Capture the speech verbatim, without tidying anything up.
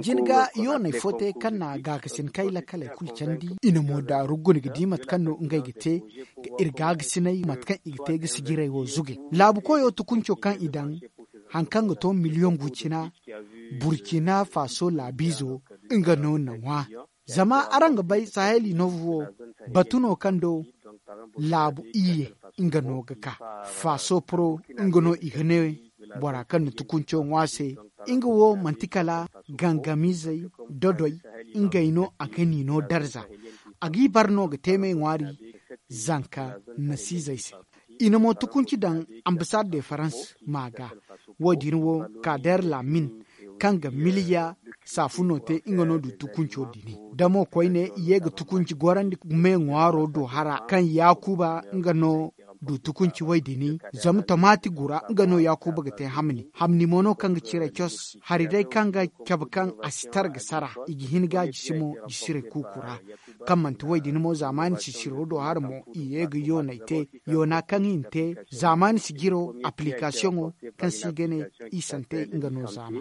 Jinga yooney fo te kaŋ na gaakasin kay lakkaley kulu candi. I na mo daaru guna ga di mate kaŋ no ngey ga te ga iri gaakasiney mate kaŋ i ga te ga sijirey wo zuge. Laabu koyo tukunco kaŋ i daŋ hari kaŋ ga to miliyoŋ gu cina, burcina faso laabiizo nga no na ŋwa. Zama araŋ ga bay sahel inoovu wo, batu no kaŋ do laabu iyye nga no ga ka. Faso poro nga no i ga ne bora kaŋ na tukunco ŋwa se. Nga wo manti kala gangamiizey dodoy, ngey no a ga ni no darza. A g'i bar no ga te me ŋwaari zanka nasiizey se. I na mo tukunci daŋ ambasad de farans ma ga. Wo- din wo kader lamin kaŋ ga miliya saafuno te nga no du tukunco dini. Da mo koyne i ye ga tukunci gorandi me ŋwaaro do hara kaŋ yaakuba nga no du tukunci way dini. Zama tomati gura nga no yaakuba ga te hamni hamni mo no kaŋ ga cire cos hari day kaŋ ga cabe kaŋ a si tara ga sara. I ga hin ga jisi mo jisirey kuuku ra. Kaŋ manti way dini mo zaamaani sisiro do hara mo i ye ga yoonay te. Yoona kaŋ i na te zaamaani sijiro aplikasiyoŋo kaŋ se i ga ne i sante nga no zaama.